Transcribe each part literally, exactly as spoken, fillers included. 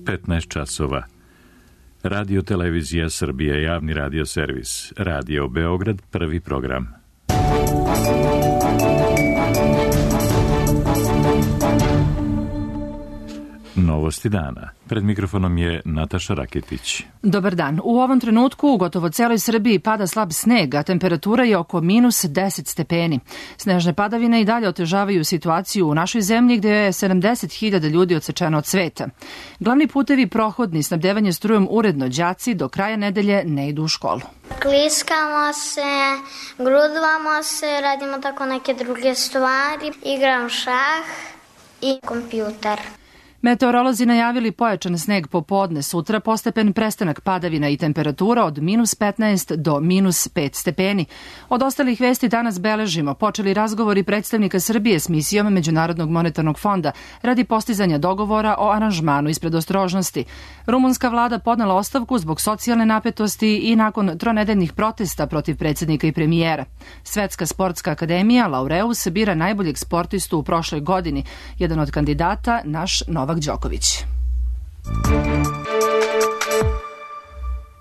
petnaest časova. Radio Televizija Srbije, javni radio servis. Radio Beograd, prvi program. Novosti dana. Pred mikrofonom je Nataša Raketić. Dobar dan. U ovom trenutku u gotovo celoj Srbiji pada slab sneg, a temperatura je oko minus deset stepeni. Snežne padavine i dalje otežavaju situaciju u našoj zemlji gde je sedamdeset hiljada ljudi odsečeno od sveta. Glavni putevi prohodni, snabdevanje strujom uredno, đaci do kraja nedelje ne idu u školu. Kliskamo se, grudvamo se, radimo tako neke druge stvari, igram šah i kompjuter. Meteorolozi najavili pojačan sneg popodne, sutra postepen prestanak padavina i temperatura od minus petnaest do minus pet stepeni. Od ostalih vesti danas beležimo počeli razgovori predstavnika Srbije s misijom Međunarodnog monetarnog fonda radi postizanja dogovora o aranžmanu iz predostrožnosti. Rumunska vlada podnela ostavku zbog socijalne napetosti i nakon tronedeljnih protesta protiv predsjednika i premijera. Svetska sportska akademija Laureus bira najboljeg sportistu u prošloj godini. Jedan od kandidata, naš Novak Đoković.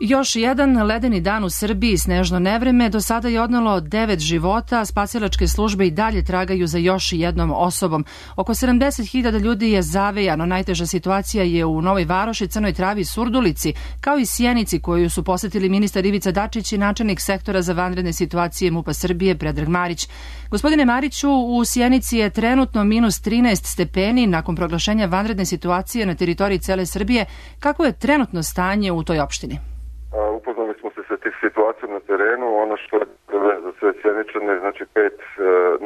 Još jedan ledeni dan u Srbiji, snežno nevreme, do sada je odnelo devet života, spasilačke službe i dalje tragaju za još jednom osobom. Oko sedamdeset hiljada ljudi je zavejano, najteža situacija je u Novoj Varoši, Crnoj Travi i Surdulici, kao i Sjenici koju su posetili ministar Ivica Dačić i načelnik sektora za vanredne situacije MUP-a Srbije Predrag Marić. Gospodine Mariću, u Sjenici je trenutno minus trinaest stepeni nakon proglašenja vanredne situacije na teritoriji cele Srbije. Kako je trenutno stanje u toj opštini? Upoznali smo se sa tih situacijom na terenu. Ono što je za sve Sjeničane, znači pet e,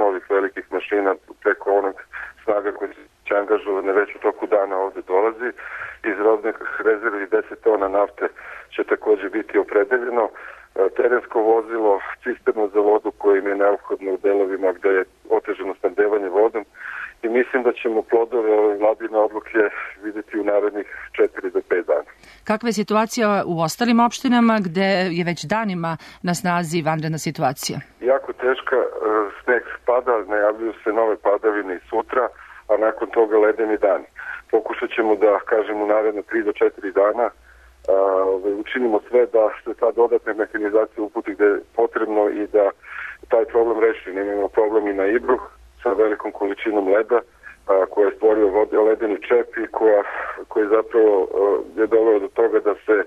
novih velikih mašina preko onog snaga koji će angažovane već u toku dana ovde dolazi. Iz robnih rezervi deset tona nafte će takođe biti opredeljeno. E, terensko vozilo, cisterno za vodu koje im je neophodno u delovima gde je otežano snabdevanje vodom. I mislim da ćemo plodove ove vladine odluke videti u narednih četiri do pet dana. Kakva je situacija u ostalim opštinama gde je već danima na snazi vanredna situacija? Jako teška, sneg pada, najavljuju se nove padavine i sutra, a nakon toga ledeni dani. Pokušat ćemo da, kažem, u naredne tri do četiri dana uh, učinimo sve da se ta dodatna mehanizacija uputi gde je potrebno i da taj problem reši. Imamo problem i na Ibru sa velikom količinom leda a, koja je stvorio vode, ledeni čep i koja, koji zapravo a, je doveo do toga da se a,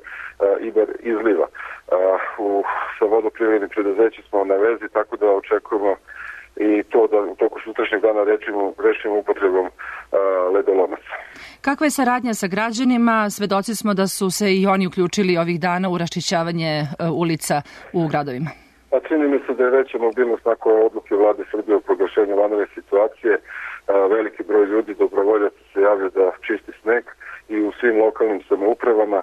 Ibar izliva. A, u, sa vodoprivrednim preduzećem smo na vezi, tako da očekujemo i to da u toku sutrašnjeg dana rečimo, rešimo upotrebom a, ledolomaca. Kakva je saradnja sa građanima? Svedoci smo da su se i oni uključili ovih dana u raščišćavanje a, ulica u gradovima. A čini mi se da je veća mobilnost nakon odluke vlade Srbije o proglašenju vanredne situacije. Veliki broj ljudi, dobrovoljaca se javlja da čisti sneg i u svim lokalnim samoupravama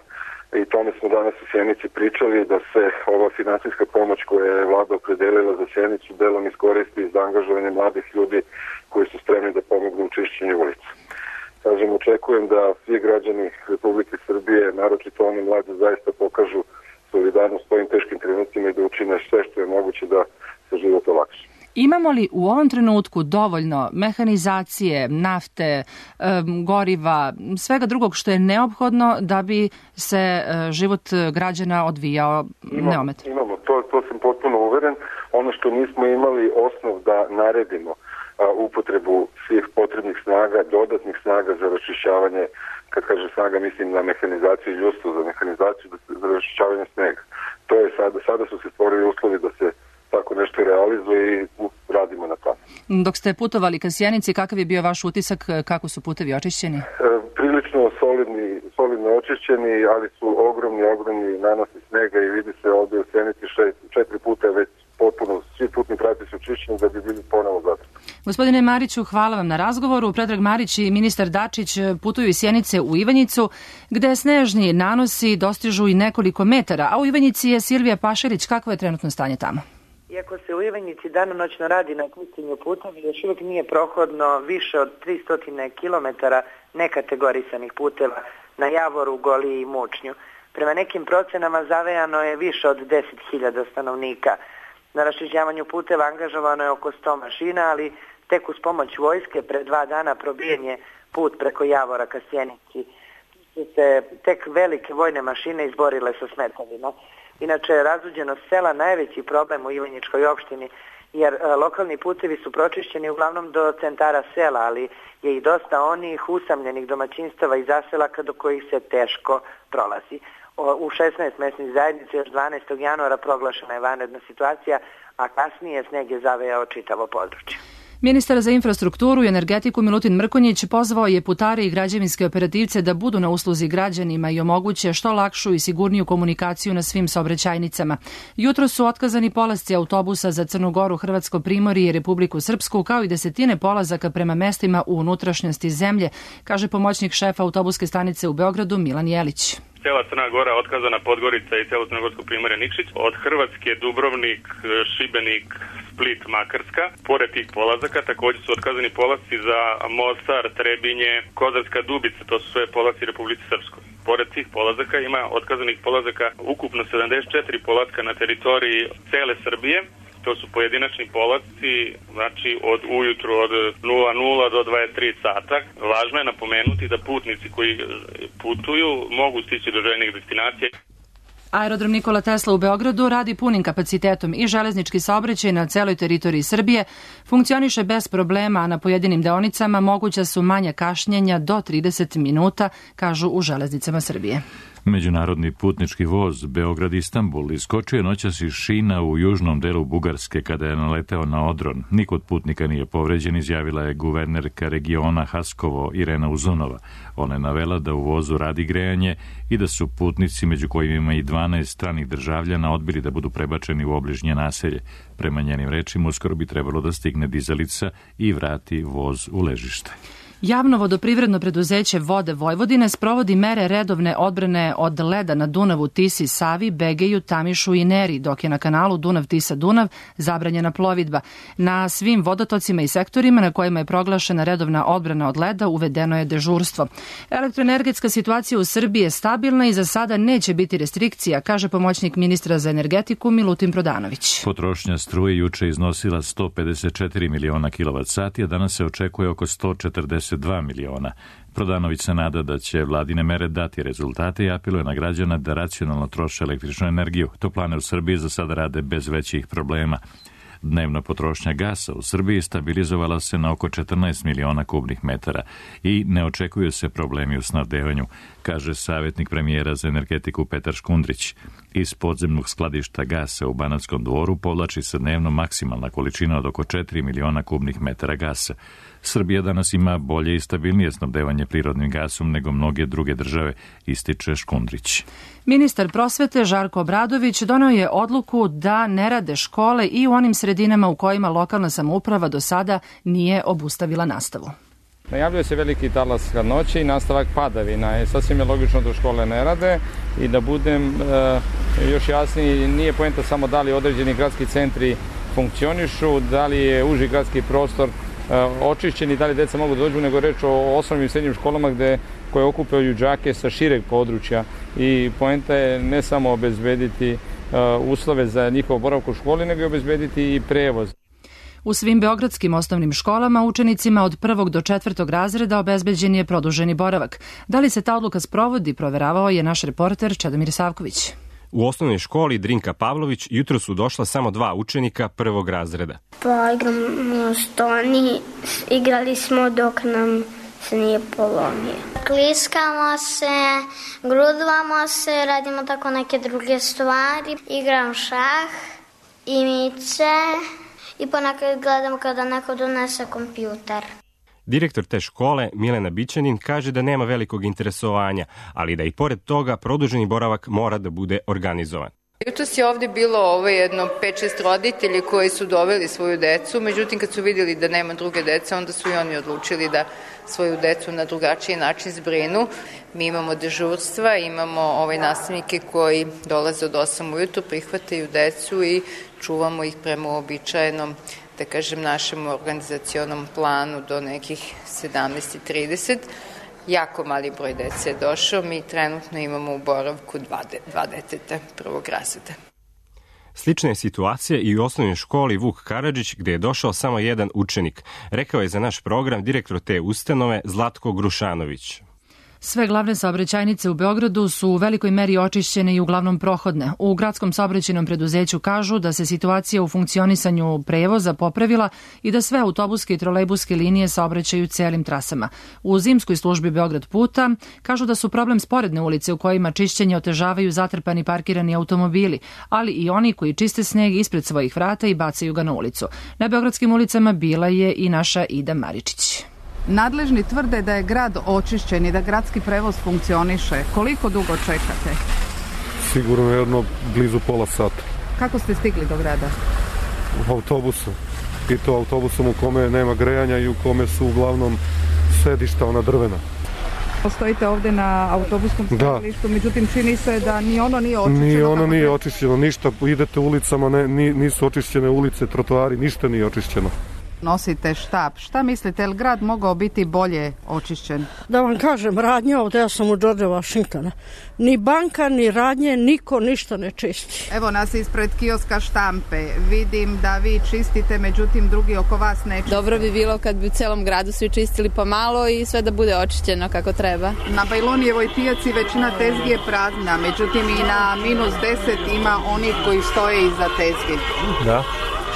i tome smo danas u Sjenici pričali da se ova finansijska pomoć koja je vlada opredelila za Sjenicu delom iskoristi za angažovanje mladih ljudi koji su spremni da pomognu u čišćenju ulica. Kažem, očekujem da svi građani Republike Srbije, naročito oni mladi, zaista pokažu solidarnost u ovim teškim trenucima i da učine sve što je moguće da se život olakša. Imamo li u ovom trenutku dovoljno mehanizacije, nafte, goriva, svega drugog što je neophodno da bi se život građana odvijao neometno? Imamo, to, to sam potpuno uveren. Ono što nismo imali osnov da naredimo upotrebu svih potrebnih snaga, dodatnih snaga za raščišćavanje, kad kaže snaga mislim na mehanizaciju i ljudstvo za mehanizaciju, za raščišćavanje snega. To je sada, sada su se stvorili uslovi da se tako nešto realizuje i radimo na to. Dok ste putovali ka Sjenici, kakav je bio vaš utisak, kako su putevi očišćeni? E, prilično solidni, solidno očišćeni, ali su ogromni, ogromni nanosi snega i vidi se ovdje u Sjenici šest, četiri puta već potpuno, svi putni pravci su očišćeni da bi bili ponovo zatrpani. Gospodine Mariću, hvala vam na razgovoru. Predrag Marić i ministar Dačić putuju iz Sjenice u Ivanjicu, gde snežni nanosi dostižu i nekoliko metara, a u Ivanjici je Silvija Pašerić. Kakvo je trenutno stanje tamo? Iako se u Ivanjici danonoćno radi na čišćenju puteva, još uvijek nije prohodno više od tristo kilometara nekategorisanih puteva na Javoru, Goliji i Mučnju. Prema nekim procenama zavejano je više od deset hiljada stanovnika. Na raščišćavanju puteva angažovano je oko sto mašina, ali tek uz pomoć vojske pre dva dana probijen je put preko Javora ka Sjenici. su se tek velike vojne mašine izborile sa smetavima. Inače, razuđenost sela najveći problem u Ivanjičkoj opštini, jer e, lokalni putevi su pročišćeni uglavnom do centara sela, ali je i dosta onih usamljenih domaćinstava i zaselaka do kojih se teško prolazi. O, u šesnaest mesnih zajednica još dvanaestog januara proglašena je vanredna situacija, a kasnije sneg je zavejao čitavo područje. Ministar za infrastrukturu i energetiku Milutin Mrkonjić pozvao je putare i građevinske operativce da budu na usluzi građanima i omoguće što lakšu i sigurniju komunikaciju na svim saobraćajnicama. Jutro su otkazani polasci autobusa za Crnu Goru, Hrvatsko primorje i Republiku Srpsku, kao i desetine polazaka prema mestima u unutrašnjosti zemlje, kaže pomoćnik šefa autobuske stanice u Beogradu Milan Jelić. Cela Crna Gora otkazana, Podgorica i celo crnogorsko primorje Nikšić, od Hrvatske Dubrovnik, Šibenik, Split, Makarska. Pored tih polazaka također su otkazani polasci za Mostar, Trebinje, Kozarska Dubica, to su sve polazci Republike Srpskoj. Pored tih polazaka ima otkazanih polazaka ukupno sedamdeset četiri polaska na teritoriji cele Srbije. To su pojedinačni polazci, znači od ujutru od nula nula do dvadeset tri sata. Važno je napomenuti da putnici koji putuju mogu stići do željenih destinacija. Aerodrom Nikola Tesla u Beogradu radi punim kapacitetom i železnički saobraćaj na celoj teritoriji Srbije funkcioniše bez problema, a na pojedinim deonicama moguća su manja kašnjenja do trideset minuta, kažu u Železnicama Srbije. Međunarodni putnički voz Beograd-Istanbul iskočio je noćas iz šina u južnom delu Bugarske kada je naleteo na odron. Niko od putnika nije povređen, izjavila je guvernerka regiona Haskovo Irena Uzunova. Ona je navela da u vozu radi grejanje i da su putnici, među kojima ima i dvanaest stranih državljana, odbili da budu prebačeni u obližnje naselje. Prema njenim rečima, uskoro bi trebalo da stigne dizalica i vrati voz u ležište. Javno vodoprivredno preduzeće Vode Vojvodine sprovodi mere redovne odbrane od leda na Dunavu, Tisi, Savi, Begeju, Tamišu i Neri, dok je na kanalu Dunav-Tisa-Dunav zabranjena plovidba. Na svim vodotocima i sektorima na kojima je proglašena redovna odbrana od leda uvedeno je dežurstvo. Elektroenergetska situacija u Srbiji je stabilna i za sada neće biti restrikcija, kaže pomoćnik ministra za energetiku Milutin Prodanović. Potrošnja struje juče iznosila sto pedeset četiri miliona kilovat sati, a danas se očekuje oko sto četrdeset dva miliona. Prodanović se nada da će vladine mere dati rezultate i apeluje na građana da racionalno troše električnu energiju. Toplane u Srbiji za sada rade bez većih problema. Dnevna potrošnja gasa u Srbiji stabilizovala se na oko četrnaest miliona kubnih metara i ne očekuju se problemi u snabdevanju, kaže savjetnik premijera za energetiku Petar Škundrić. Iz podzemnog skladišta gasa u Banatskom Dvoru povlači se dnevno maksimalna količina od oko četiri miliona kubnih metara gasa. Srbija danas ima bolje i stabilnije snabdevanje prirodnim gasom nego mnoge druge države, ističe Škundrić. Ministar prosvete Žarko Obradović doneo je odluku da ne rade škole i u onim sredinama u kojima lokalna samouprava do sada nije obustavila nastavu. Najavljuje se veliki talas hladnoće i nastavak padavina. Je sasvim je logično da škole ne rade i da budem e, još jasniji, nije poenta samo da li određeni gradski centri funkcionišu, da li je uži gradski prostor e, očišćen i da li deca mogu da dođu, nego reč o osnovnim i srednjim školama gde, koje okupaju đake sa šireg područja i poenta je ne samo obezbediti e, uslove za njihov boravak u školi, nego i obezbediti i prevoz. U svim beogradskim osnovnim školama učenicima od prvog do četvrtog razreda obezbeđen je produženi boravak. Da li se ta odluka sprovodi, proveravao je naš reporter Čedomir Savković. U osnovnoj školi Drinka Pavlović jutro su došla samo dva učenika prvog razreda. Pa igramo stoni, igrali smo dok nam se nije polomio. Kliskamo se, grudvamo se, radimo tako neke druge stvari. Igram šah, imice i ponekad gledam kada neko donese kompjuter. Direktor te škole, Milena Bićanin, kaže da nema velikog interesovanja, ali da i pored toga produženi boravak mora da bude organizovan. Jutros je ovde bilo ovo jedno pet šest roditelji koji su doveli svoju decu, međutim kad su vidjeli da nema druge dece, onda su i oni odlučili da svoju decu na drugačiji način zbrinu. Mi imamo dežurstva, imamo ovaj nastavnike koji dolaze od osam ujutru, prihvataju decu i čuvamo ih prema uobičajenom, da kažem, našem organizacionom planu do nekih sedamnaest trideset. Jako mali broj dece je došao, mi trenutno imamo u boravku dva, de, dva deteta prvog razreda. Slična je situacija i u osnovnoj školi Vuk Karadžić, gde je došao samo jedan učenik, rekao je za naš program direktor te ustanove Zlatko Grušanović. Sve glavne saobraćajnice u Beogradu su u velikoj meri očišćene i uglavnom prohodne. U gradskom saobraćajnom preduzeću kažu da se situacija u funkcionisanju prevoza popravila i da sve autobuske i trolejbuske linije saobraćaju celim trasama. U zimskoj službi Beograd puta kažu da su problem sporedne ulice u kojima čišćenje otežavaju zatrpani parkirani automobili, ali i oni koji čiste sneg ispred svojih vrata i bacaju ga na ulicu. Na beogradskim ulicama bila je i naša Ida Maričić. Nadležni tvrde da je grad očišćen i da gradski prevoz funkcioniše. Koliko dugo čekate? Sigurno jedno blizu pola sata. Kako ste stigli do grada? U autobusu. I to autobusom u kome nema grejanja i u kome su uglavnom sedišta ona drvena. Stojite ovdje na autobuskom stajalištu, međutim čini se da ni ono nije očišćeno. Ni ono nije treba... očišćeno, ništa. Idete ulicama, ne, nisu očišćene ulice, trotoari, ništa nije očišćeno. Nosite štap. Šta mislite, je li grad mogao biti bolje očišćen? Da vam kažem, radnje ovdje, ja sam u George Washingtona. Ni banka, ni radnje, niko ništa ne čisti. Evo nas ispred kioska Štampe. Vidim da vi čistite, međutim drugi oko vas ne čiste. Dobro bi bilo kad bi u celom gradu svi čistili pomalo i sve da bude očišćeno kako treba. Na Bajlonijevoj pijaci većina tezgi je prazna, međutim i na minus deset ima onih koji stoje iza tezgi. Da.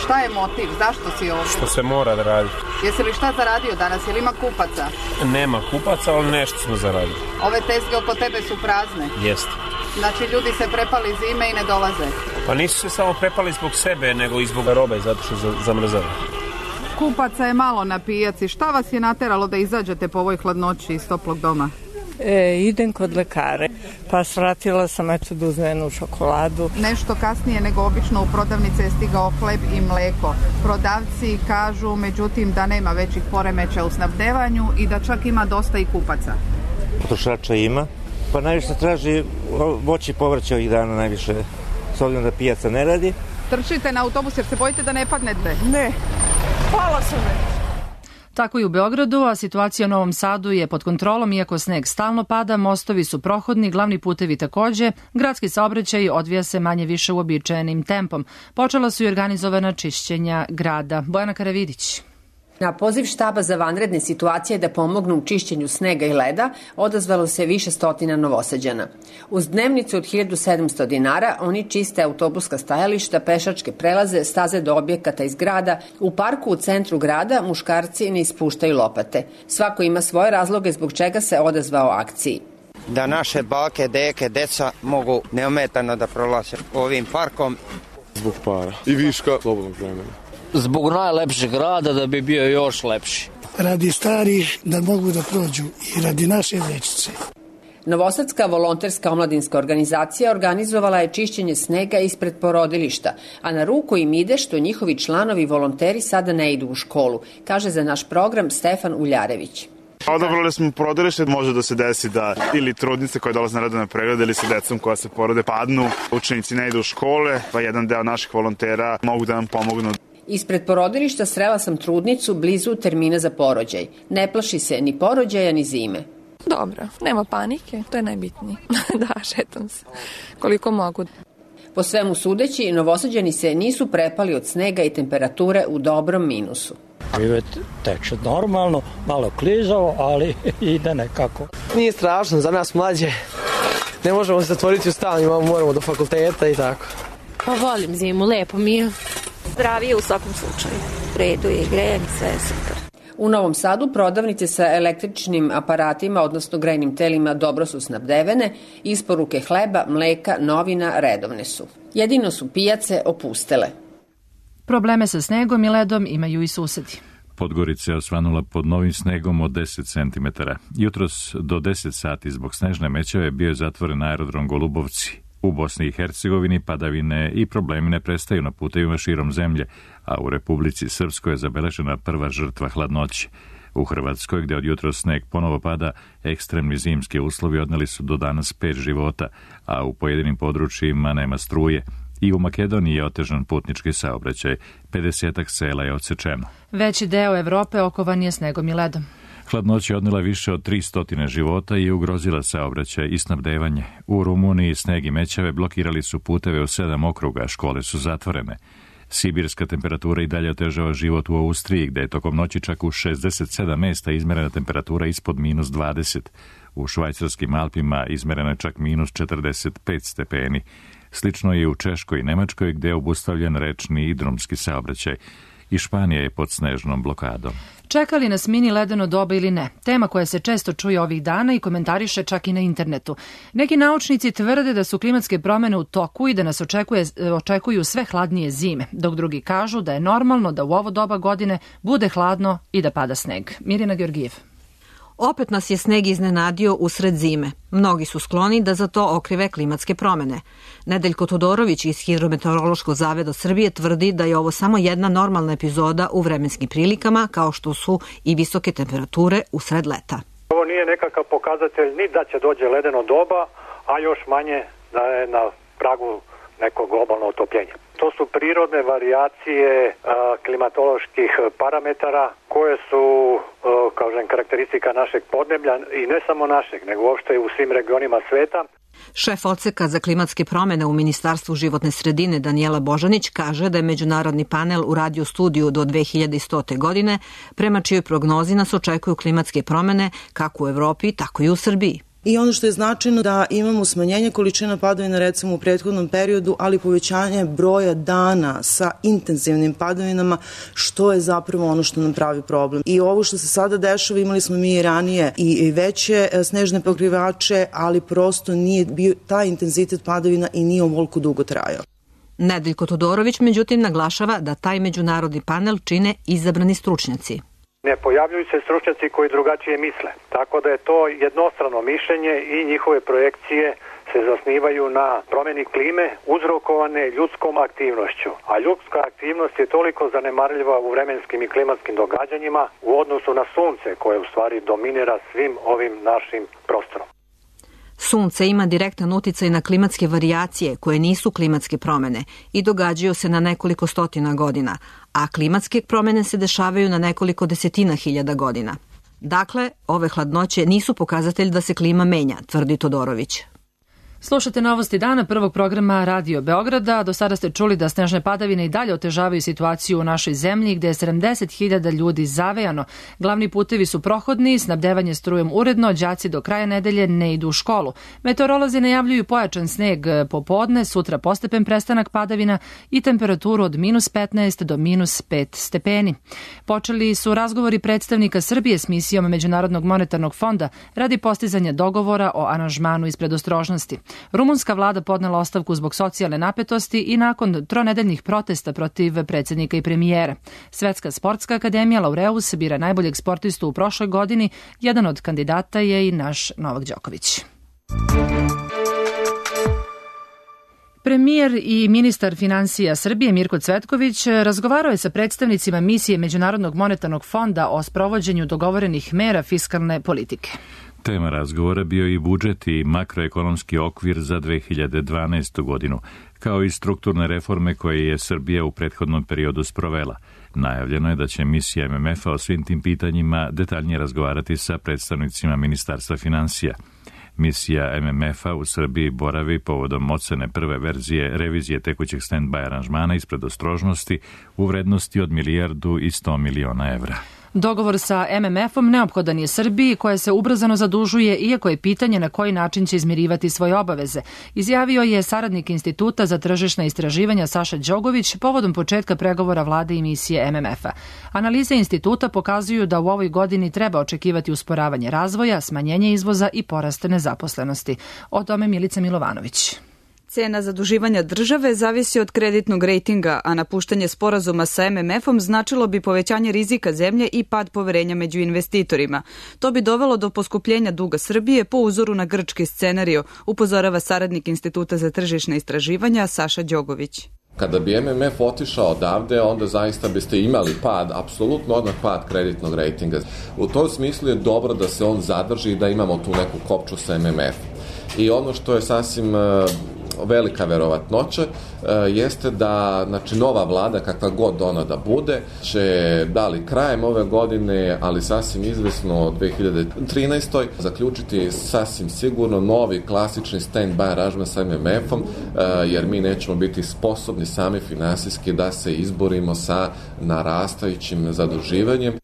Šta je motiv? Zašto si ovdje? Što se mora da radi. Jesi li šta zaradio danas? Je li ima kupaca? Nema kupaca, ali nešto smo zaradili. Ove tezge oko tebe su prazne? Jeste. Znači ljudi se prepali zime i ne dolaze? Pa nisu se samo prepali zbog sebe, nego i zbog robe, zato što zamrzava. Kupaca je malo na pijaci. Šta vas je nateralo da izađete po ovoj hladnoći iz toplog doma? E, idem kod lekare, pa svratila sam eto da uzmem jednu čokoladu. Nešto kasnije nego obično u prodavnice je stigao hleb i mleko. Prodavci kažu međutim da nema većih poremeća u snabdevanju i da čak ima dosta i kupaca. Potrošača ima, pa najviše traži voće i povrće ovih dana najviše, s obzirom da pijaca ne radi. Trčite na autobus jer se bojite da ne padnete? Ne, pala sam već. Tako i u Beogradu, a situacija u Novom Sadu je pod kontrolom, iako sneg stalno pada, mostovi su prohodni, glavni putevi takođe, gradski saobraćaj odvija se manje više uobičajenim tempom. Počela su i organizovana čišćenja grada. Bojana Karavidić. Na poziv štaba za vanredne situacije da pomognu u čišćenju snega i leda odazvalo se više stotina Novosađana. Uz dnevnicu od hiljadu sedamsto dinara oni čiste autobuska stajališta, pešačke prelaze, staze do objekata iz grada. U parku u centru grada muškarci ne ispuštaju lopate. Svako ima svoje razloge zbog čega se odazvao akciji. Da naše bake, deke, deca mogu neometano da prolaze ovim parkom. Zbog para i viška slobodnog vremena. Zbog najlepšeg grada da bi bio još lepši. Radi starih da mogu da prođu i radi naše dečice. Novosadska volonterska omladinska organizacija organizovala je čišćenje snega ispred porodilišta, a na ruku im ide što njihovi članovi volonteri sada ne idu u školu, kaže za naš program Stefan Uljarević. Odabrali smo porodilište, može da se desi da ili trudnice koje dolaze na redovne preglede ili sa decom koja se porode padnu, učenici ne idu u škole, pa jedan deo naših volontera mogu da nam pomognu. Ispred porodilišta srela sam trudnicu blizu termina za porođaj. Ne plaši se ni porođaja ni zime. Dobro, nema panike, to je najbitnije. Da, šetam se koliko mogu. Po svemu sudeći, Novosađani se nisu prepali od snega i temperature u dobrom minusu. Privet teče normalno, malo klizavo, ali ide nekako. Nije strašno, za nas mlađe. Ne možemo se zatvoriti u stan, imamo, moramo do fakulteta i tako. Pa volim zimu, lepo mi je. Zdravije u svakom slučaju. U redu je, grejanje, sve je super. U Novom Sadu prodavnice sa električnim aparatima, odnosno grejnim telima, dobro su snabdevene, isporuke hleba, mleka, novina redovne su. Jedino su pijace opustele. Probleme sa snegom i ledom imaju i susedi. Podgorica je osvanula pod novim snegom od deset centimetara. Jutros do deset sati zbog snežne mećave bio je zatvoren aerodrom Golubovci. U Bosni i Hercegovini padavine i problemi ne prestaju na putevima širom zemlje, a u Republici Srpskoj je zabeležena prva žrtva hladnoće. U Hrvatskoj, gde od jutros sneg ponovo pada, ekstremni zimski uslovi odneli su do danas pet života, a u pojedinim područjima nema struje. I u Makedoniji je otežan putnički saobraćaj, pedesetak sela je odsečeno. Veći deo Evrope okovan je snegom i ledom. Hladnoća je odnela više od tristo života i ugrozila saobraćaj i snabdevanje. U Rumuniji sneg i mećave blokirali su puteve u sedam okruga, škole su zatvorene. Sibirska temperatura i dalje otežava život u Austriji, gde je tokom noći čak u šezdeset sedam mesta izmerena temperatura ispod minus dvadeset. U švajcarskim Alpima izmereno je čak minus četrdeset pet stepeni. Slično je u Češkoj i Nemačkoj gde je obustavljen rečni i drumski saobraćaj. I Španija je pod snežnom blokadom. Čeka li nas mini ledeno doba ili ne? Tema koja se često čuje ovih dana i komentariše čak i na internetu. Neki naučnici tvrde da su klimatske promene u toku i da nas očekuje, očekuju sve hladnije zime, dok drugi kažu da je normalno da u ovo doba godine bude hladno i da pada sneg. Mirjana Georgijev. Opet nas je sneg iznenadio usred zime. Mnogi su skloni da za to okrive klimatske promene. Nedeljko Todorović iz Hidrometeorološkog zaveda Srbije tvrdi da je ovo samo jedna normalna epizoda u vremenskim prilikama, kao što su i visoke temperature usred leta. Ovo nije nekakav pokazatelj ni da će dođe ledeno doba, a još manje da je na pragu nekog globalnog otopljenja. To su prirodne varijacije a, klimatoloških parametara koje su, a, kažem, karakteristika našeg podneblja i ne samo našeg, nego uopšte u svim regionima sveta. Šef odseka za klimatske promene u Ministarstvu životne sredine Danijela Božanić kaže da je međunarodni panel uradio studiju do dve hiljade stote godine, prema čijoj prognozi nas očekuju klimatske promene kako u Evropi, tako i u Srbiji. I ono što je značajno da imamo smanjenje količina padavina recimo u prethodnom periodu, ali povećanje broja dana sa intenzivnim padavinama, što je zapravo ono što nam pravi problem. I ovo što se sada dešava, imali smo mi i ranije i veće snežne pokrivače, ali prosto nije bio taj intenzitet padavina i nije ovoliko dugo trajao. Nedeljko Todorović međutim naglašava da taj međunarodni panel čine izabrani stručnjaci. Ne pojavljuju se stručnjaci koji drugačije misle, tako da je to jednostrano mišljenje i njihove projekcije se zasnivaju na promjeni klime uzrokovane ljudskom aktivnošću. A ljudska aktivnost je toliko zanemarljiva u vremenskim i klimatskim događanjima u odnosu na sunce koje u stvari dominira svim ovim našim prostorom. Sunce ima direktan uticaj na klimatske varijacije koje nisu klimatske promene i događaju se na nekoliko stotina godina, a klimatske promene se dešavaju na nekoliko desetina hiljada godina. Dakle, ove hladnoće nisu pokazatelj da se klima menja, tvrdi Todorović. Slušate novosti dana prvog programa Radio Beograda. Do sada ste čuli da snežne padavine i dalje otežavaju situaciju u našoj zemlji, gde je sedamdeset hiljada ljudi zavejano. Glavni putevi su prohodni, snabdevanje strujom uredno, đaci do kraja nedelje ne idu u školu. Meteorolozi najavljuju pojačan sneg popodne, sutra postepen prestanak padavina i temperaturu od minus petnaest do minus pet stepeni. Počeli su razgovori predstavnika Srbije s misijom Međunarodnog monetarnog fonda radi postizanja dogovora o aranžmanu iz predostrožnosti. Rumunska vlada podnela ostavku zbog socijalne napetosti i nakon tronedeljnih protesta protiv predsjednika i premijera. Svetska sportska akademija Laureus bira najboljeg sportistu u prošloj godini. Jedan od kandidata je i naš Novak Đoković. Premijer i ministar finansija Srbije Mirko Cvetković razgovarao je sa predstavnicima misije Međunarodnog monetarnog fonda o sprovođenju dogovorenih mera fiskalne politike. Tema razgovora bio i budžet i makroekonomski okvir za dve hiljade dvanaestu godinu, kao i strukturne reforme koje je Srbija u prethodnom periodu sprovela. Najavljeno je da će misija M M F-a o svim tim pitanjima detaljnije razgovarati sa predstavnicima Ministarstva finansija. Misija M M F-a u Srbiji boravi povodom ocene prve verzije revizije tekućeg stand-by aranžmana iz predostrožnosti u vrednosti od milijardu i sto miliona evra. Dogovor sa M M F-om neophodan je Srbiji, koja se ubrzano zadužuje, iako je pitanje na koji način će izmirivati svoje obaveze, izjavio je saradnik Instituta za tržišna istraživanja Saša Đogović povodom početka pregovora vlade i misije M M F-a. Analize instituta pokazuju da u ovoj godini treba očekivati usporavanje razvoja, smanjenje izvoza i porast nezaposlenosti. O tome Milica Milovanović. Cena zaduživanja države zavisi od kreditnog rejtinga, a napuštanje sporazuma sa M M F-om značilo bi povećanje rizika zemlje i pad poverenja među investitorima. To bi dovelo do poskupljenja duga Srbije po uzoru na grčki scenario, upozorava saradnik Instituta za tržišna istraživanja Saša Đogović. Kada bi M M F otišao odavde, onda zaista biste imali pad, apsolutno odmah pad kreditnog rejtinga. U tom smislu je dobro da se on zadrži i da imamo tu neku kopču sa M M F. I ono što je sasvim velika verovatnoća jeste da, znači, nova vlada, kakva god ona da bude, će da li krajem ove godine, ali sasvim izvesno dve hiljade trinaestoj zaključiti sasvim sigurno novi klasični stand-by aranžman sa M M F-om, jer mi nećemo biti sposobni sami finansijski da se izborimo sa narastajućim zaduživanjem.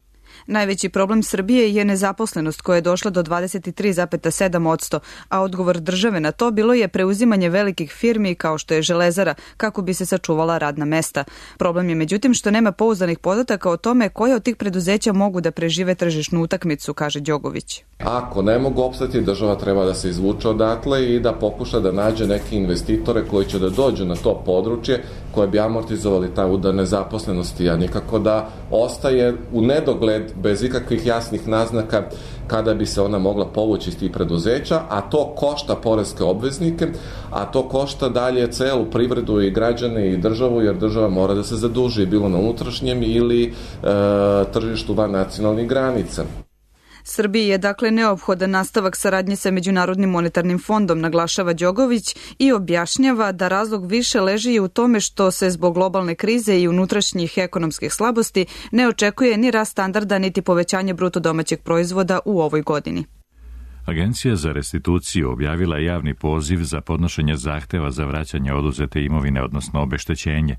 Najveći problem Srbije je nezaposlenost koja je došla do dvadeset tri zarez sedam posto, a odgovor države na to bilo je preuzimanje velikih firmi kao što je Železara kako bi se sačuvala radna mesta. Problem je međutim što nema pouzdanih podataka o tome koje od tih preduzeća mogu da prežive tržišnu utakmicu, kaže Đogović. Ako ne mogu opstati, država treba da se izvuče odatle i da pokuša da nađe neke investitore koji će da dođu na to područje koje bi amortizovali taj udar nezaposlenosti, a nikako da ostaje u nedogled bez ikakvih jasnih naznaka kada bi se ona mogla povući iz tih preduzeća, a to košta poreske obveznike, a to košta dalje celu privredu i građane i državu, jer država mora da se zaduži bilo na unutrašnjem ili e, tržištu van nacionalnih granica. Srbiji je dakle neophodan nastavak saradnje sa Međunarodnim monetarnim fondom, naglašava Đogović i objašnjava da razlog više leži i u tome što se zbog globalne krize i unutrašnjih ekonomskih slabosti ne očekuje ni rast standarda niti povećanje bruto domaćeg proizvoda u ovoj godini. Agencija za restituciju objavila javni poziv za podnošenje zahteva za vraćanje oduzete imovine, odnosno obeštećenje.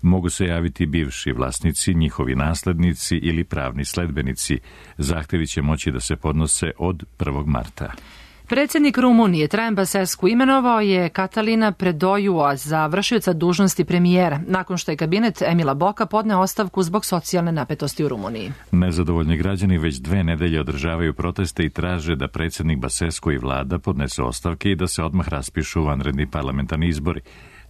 Mogu se javiti bivši vlasnici, njihovi naslednici ili pravni sledbenici. Zahtevi će moći da se podnose od prvog marta. Predsjednik Rumunije Traian Basescu imenovao je Catalina Predoiua za vršioca dužnosti premijera, nakon što je kabinet Emila Boka podneo ostavku zbog socijalne napetosti u Rumuniji. Nezadovoljni građani već dve nedelje održavaju proteste i traže da predsjednik Basescu i vlada podnesu ostavke i da se odmah raspišu vanredni parlamentarni izbori.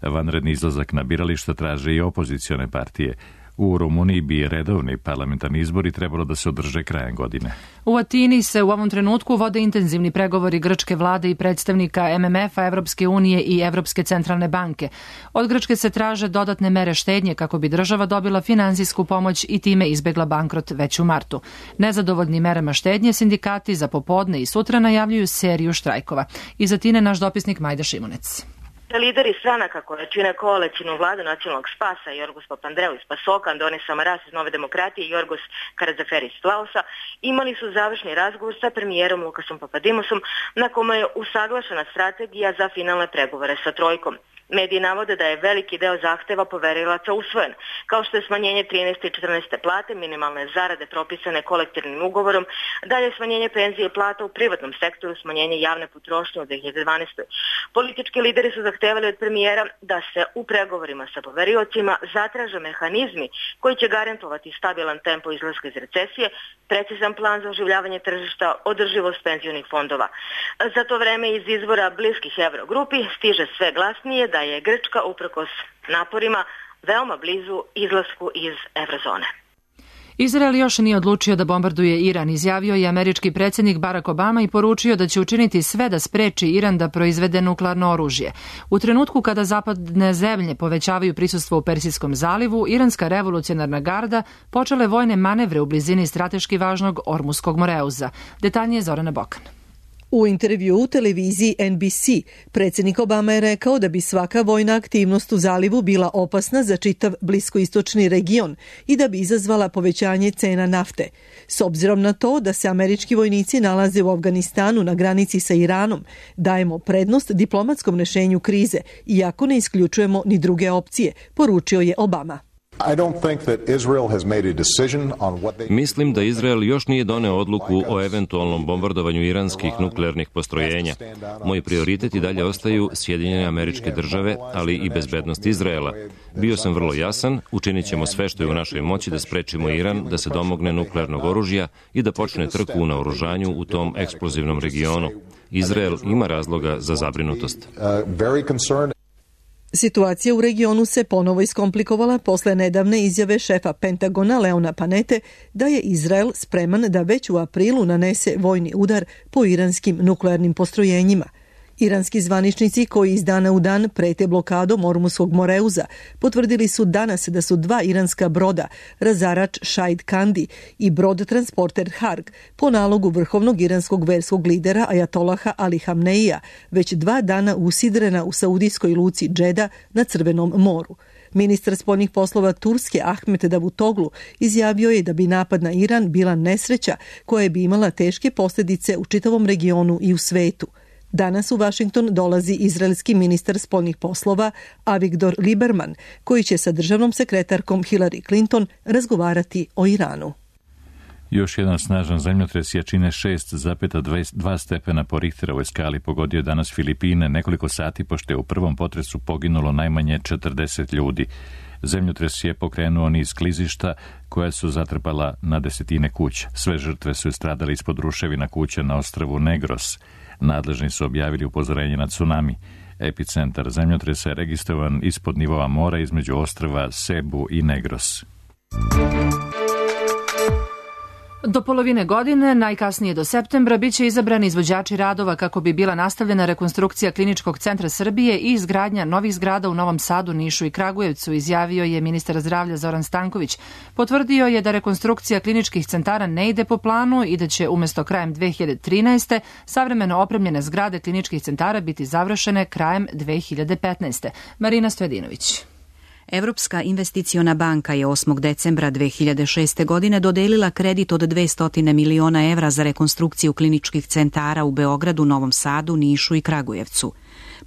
Vanredni izlazak na birališta traže i opozicione partije. U Rumuniji bi redovni parlamentarni izbori trebalo da se održe krajem godine. U Atini se u ovom trenutku vode intenzivni pregovori grčke vlade i predstavnika M M F-a, Evropske unije i Evropske centralne banke. Od Grčke se traže dodatne mere štednje kako bi država dobila finansijsku pomoć i time izbegla bankrot već u martu. Nezadovoljni merama štednje sindikati za popodne i sutra najavljuju seriju štrajkova. Iz Atine naš dopisnik Majda Šimunec. Lideri stranaka koje čine koalicijnu vladu nacionalnog spasa, Jorgos Papandreou iz Pasoka, Andonis Samaras iz Nove demokratije i Jorgos Karađaferis iz Vlausa, imali su završni razgovor sa premijerom Lukasom Papadimosom, na kome je usaglašena strategija za finalne pregovore sa trojkom. Mediji navode da je veliki deo zahteva poverilaca usvojen, kao što je smanjenje trinaeste i četrnaeste plate, minimalne zarade propisane kolektivnim ugovorom, dalje smanjenje penzije i plata u privatnom sektoru, smanjenje javne potrošnje u dve hiljade dvanaestoj. Politički lideri su zahtevali od premijera da se u pregovorima sa poveriocima zatraže mehanizmi koji će garantovati stabilan tempo izlaska iz recesije, precizan plan za oživljavanje tržišta, održivost penzionih fondova. Za to vreme iz izvora bliskih Evrogrupi stiže sve glasnije da je Grčka uprkos naporima veoma blizu izlasku iz Evrozone. Izrael još nije odlučio da bombarduje Iran, izjavio je američki predsjednik Barack Obama i poručio da će učiniti sve da spreči Iran da proizvede nuklearno oružje. U trenutku kada zapadne zemlje povećavaju prisustvo u Persijskom zalivu, iranska revolucionarna garda počela je vojne manevre u blizini strateški važnog Ormuskog moreuza. Detaljnije Zorana Bokan. U intervju u televiziji N B C predsjednik Obama je rekao da bi svaka vojna aktivnost u zalivu bila opasna za čitav bliskoistočni region i da bi izazvala povećanje cena nafte. S obzirom na to da se američki vojnici nalaze u Afganistanu na granici sa Iranom, dajemo prednost diplomatskom rešenju krize, iako ne isključujemo ni druge opcije, poručio je Obama. Mislim da Izrael još nije doneo odluku o eventualnom bombardovanju iranskih nuklearnih postrojenja. Moji prioriteti dalje ostaju Sjedinjene Američke Države, ali i bezbednost Izraela. Bio sam vrlo jasan, učinit ćemo sve što je u našoj moći da sprečimo Iran da se domogne nuklearnog oružja i da počne trku u naoružanju u tom eksplozivnom regionu. Izrael ima razloga za zabrinutost. Situacija u regionu se ponovo iskomplikovala posle nedavne izjave šefa Pentagona Leona Panete da je Izrael spreman da već u aprilu nanese vojni udar po iranskim nuklearnim postrojenjima. Iranski zvaničnici koji iz dana u dan prete blokadom Ormuskog moreuza potvrdili su danas da su dva iranska broda, razarač Shahid Kandi i brod transporter Harg, po nalogu vrhovnog iranskog verskog lidera Ajatolaha Ali Hamneija, već dva dana usidrena u saudijskoj luci Džeda na Crvenom moru. Ministar spoljnih poslova Turske Ahmet Davutoglu izjavio je da bi napad na Iran bila nesreća koja bi imala teške posljedice u čitavom regionu i u svetu. Danas u Washington dolazi izraelski ministar spoljnih poslova Avigdor Lieberman, koji će sa državnom sekretarkom Hillary Clinton razgovarati o Iranu. Još jedan snažan zemljotres jačine šest zarez dva stepena po Richterovoj skali pogodio je danas Filipine nekoliko sati pošto je u prvom potresu poginulo najmanje četrdeset ljudi. Zemljotres je pokrenuo niz klizišta koja su zatrpala na desetine kuća. Sve žrtve su stradali ispod ruševina kuća na ostrvu Negros. Nadležni su objavili upozorenje na tsunami. Epicentar zemljotresa je registrovan ispod nivoa mora između ostrva Sebu i Negros. Do polovine godine, najkasnije do septembra, biće izabrani izvođači radova kako bi bila nastavljena rekonstrukcija Kliničkog centra Srbije i izgradnja novih zgrada u Novom Sadu, Nišu i Kragujevcu, izjavio je ministar zdravlja Zoran Stanković. Potvrdio je da rekonstrukcija kliničkih centara ne ide po planu i da će umesto krajem dve hiljade trinaeste. savremeno opremljene zgrade kliničkih centara biti završene krajem dve hiljade petnaeste. Marina Stojadinović. Evropska investiciona banka je osmog decembra dve hiljade šeste. godine dodelila kredit od dvesta miliona evra za rekonstrukciju kliničkih centara u Beogradu, Novom Sadu, Nišu i Kragujevcu.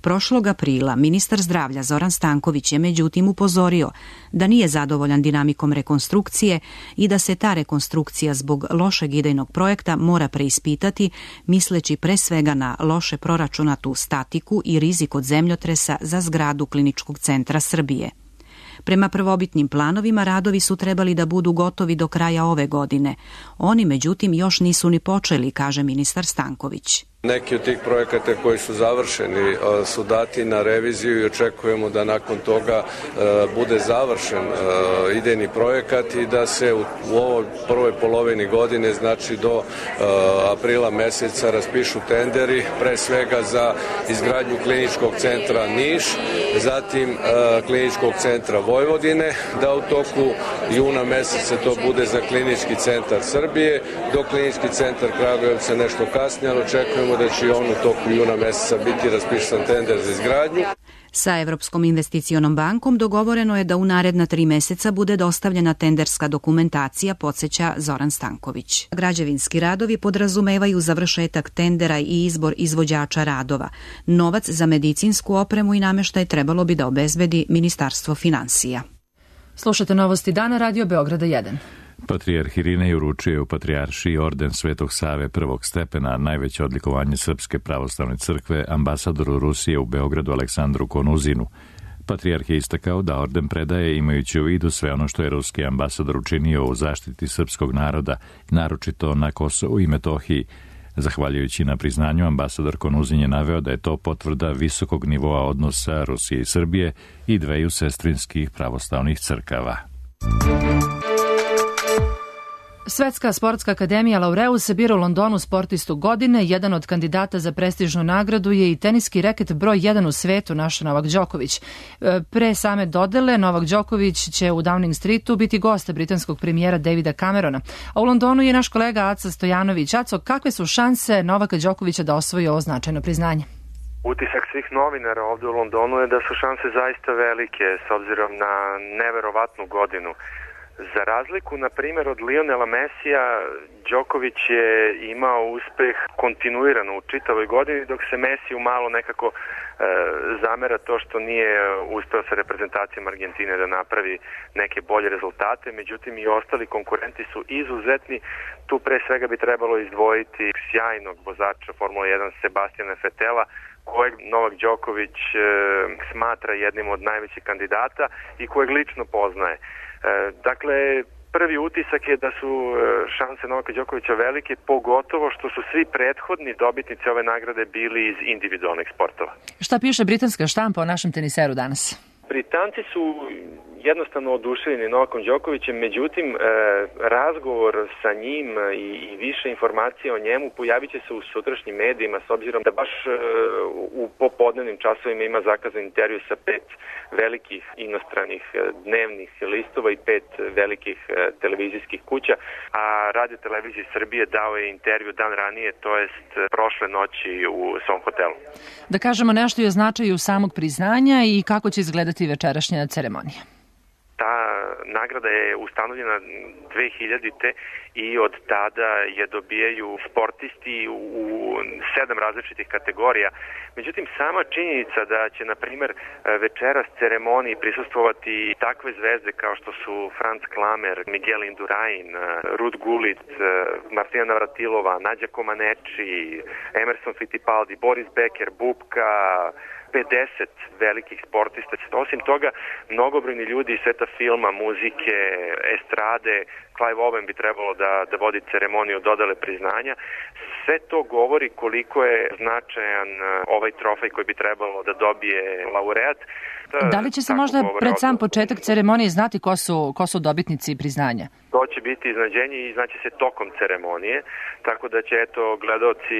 Prošlog aprila ministar zdravlja Zoran Stanković je međutim upozorio da nije zadovoljan dinamikom rekonstrukcije i da se ta rekonstrukcija zbog lošeg idejnog projekta mora preispitati, misleći pre svega na loše proračunatu statiku i rizik od zemljotresa za zgradu Kliničkog centra Srbije. Prema prvobitnim planovima radovi su trebali da budu gotovi do kraja ove godine. Oni međutim još nisu ni počeli, kaže ministar Stanković. Neki od tih projekata koji su završeni su dati na reviziju i očekujemo da nakon toga bude završen idejni projekat i da se u ovoj prvoj polovini godine, znači do aprila meseca, raspišu tenderi, pre svega za izgradnju Kliničkog centra Niš, zatim Kliničkog centra Vojvodine, da u toku juna meseca to bude za Klinički centar Srbije, dok Klinički centar Kragujevca nešto kasnije, ali očekujemo da će on u toku juna meseca biti raspisan tender za izgradnju. Sa Evropskom investicionom bankom dogovoreno je da u naredna tri meseca bude dostavljena tenderska dokumentacija, podsjeća Zoran Stanković. Građevinski radovi podrazumevaju završetak tendera i izbor izvođača radova. Novac za medicinsku opremu i nameštaj trebalo bi da obezbedi Ministarstvo finansija. Slušate novosti dana, Radio Beograda jedan. Patrijarh Irinej uručio u Patrijaršiji orden Svetog Save prvog stepena, najveće odlikovanje Srpske pravoslavne crkve, ambasadoru Rusije u Beogradu Aleksandru Konuzinu. Patrijarh je istakao da orden predaje imajući u vidu sve ono što je ruski ambasador učinio u zaštiti srpskog naroda, naročito na Kosovu i Metohiji. Zahvaljujući na priznanju, ambasador Konuzin je naveo da je to potvrda visokog nivoa odnosa Rusije i Srbije i dveju sestrinskih pravoslavnih crkava. Svetska sportska akademija Laureus bira u Londonu sportistu godine. Jedan od kandidata za prestižnu nagradu je i teniski reket broj jedan u svetu, naš Novak Đoković. Pre same dodele, Novak Đoković će u Downing Streetu biti gost britanskog premijera Davida Camerona. A u Londonu je naš kolega Aca Stojanović. Aco, kakve su šanse Novaka Đokovića da osvoji ovo značajno priznanje? Utisak svih novinara ovde u Londonu je da su šanse zaista velike s obzirom na neverovatnu godinu. Za razliku, na primjer, od Lionela Messija, Đoković je imao uspeh kontinuirano u čitavoj godini, dok se Messiju malo nekako e, zamera to što nije uspeo sa reprezentacijom Argentine da napravi neke bolje rezultate, međutim i ostali konkurenti su izuzetni. Tu pre svega bi trebalo izdvojiti sjajnog vozača Formula jedan Sebastijana Vetela, kojeg Novak Đoković e, smatra jednim od najvećih kandidata i kojeg lično poznaje. Dakle, prvi utisak je da su šanse Novaka Đokovića velike, pogotovo što su svi prethodni dobitnici ove nagrade bili iz individualnih sportova. Šta piše britanska štampa o našem teniseru danas? Britanci su jednostavno oduševljeni Novakom Đokovićem, međutim razgovor sa njim i, i više informacija o njemu pojavit će se u sutrašnjim medijima, s obzirom da baš u popodnevnim časovima ima zakazan intervju sa pet velikih inostranih dnevnih listova i pet velikih televizijskih kuća, a Radio Televizije Srbije dao je intervju dan ranije, to jest prošle noći u svom hotelu. Da kažemo nešto i o značaju samog priznanja i kako će izgledati večerašnja ceremonija. Ta nagrada je ustanovljena dve hiljadite i od tada je dobijaju sportisti u sedam različitih kategorija. Međutim, sama činjenica da će, na primjer, večeras ceremoniji prisustvovati takve zvezde kao što su Franz Klamer, Miguel Indurain, Ruud Gullit, Martina Navratilova, Nađa Comaneci, Emerson Fittipaldi, Boris Becker, Bubka, pedeset velikih sportista. Osim toga, mnogobrojni ljudi iz sveta filma, muzike, estrade, Clive Owen bi trebalo da, da vodi ceremoniju dodale priznanja. Sve to govori koliko je značajan ovaj trofej koji bi trebalo da dobije laureat. Da li će se možda pred sam početak ceremonije znati ko su, ko su dobitnici priznanja? To će biti iznadženje i znaće se tokom ceremonije, tako da će eto gledaoci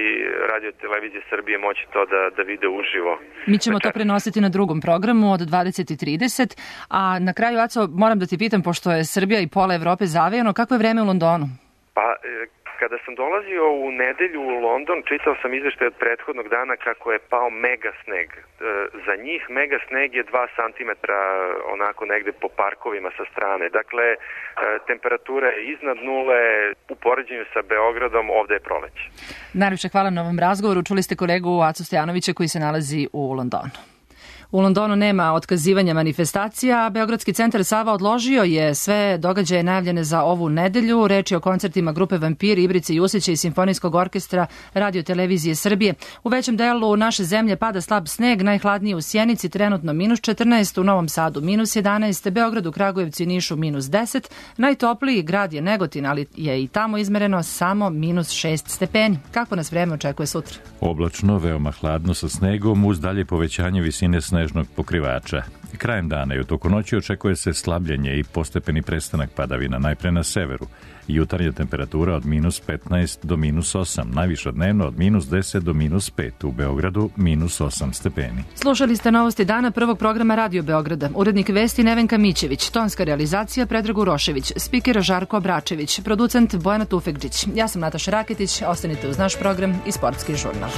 Radio Televizije Srbije moći to da, da vide uživo. Mi ćemo to prenositi na drugom programu od dvadeset i trideset, a na kraju, Aco, moram da ti pitam, pošto je Srbija i pola Evrope zavejano, kako je vreme u Londonu? Pa, kada sam dolazio u nedelju u London, čitao sam izveštaj od prethodnog dana kako je pao mega sneg. Za njih mega sneg je dva santimetra onako negde po parkovima sa strane. Dakle, temperatura je iznad nule, u poređenju sa Beogradom, ovde je proleće. Najljepše hvala na ovom razgovoru. Čuli ste kolegu Acu Stojanovića koji se nalazi u Londonu. U Londonu nema otkazivanja manifestacija, a Beogradski centar Sava odložio je sve događaje najavljene za ovu nedelju. Reč je o koncertima grupe Vampiri, Ibrice Jusića i Simfonijskog orkestra Radio Televizije Srbije. U većem delu naše zemlje pada slab sneg, najhladnije u Sjenici, trenutno minus četrnaest, u Novom Sadu minus jedanaest, Beogradu, Kragujevcu i Nišu minus deset, najtopliji grad je Negotin, ali je i tamo izmereno samo minus šest stepeni. Kako nas vreme očekuje sutra? Oblačno, veoma hladno sa snegom, uz dalje povećanje visine snežnog pokrivača. Krajem dana i u toku noći očekuje se slabljenje i postepeni prestanak padavina, najpre na severu. Jutarnja temperatura od minus petnaest do minus osam, najviša dnevno od minus deset do minus pet, u Beogradu minus osam stepeni. Slušali ste novosti dana prvog programa Radio Beograda. Urednik vesti Nevenka Mićević, tonska realizacija Predrag Urošević, spiker Žarko Obračević, producent Bojana Tufekđić. Ja sam Nataša Raketić, ostanite uz naš program i Sportski žurnal.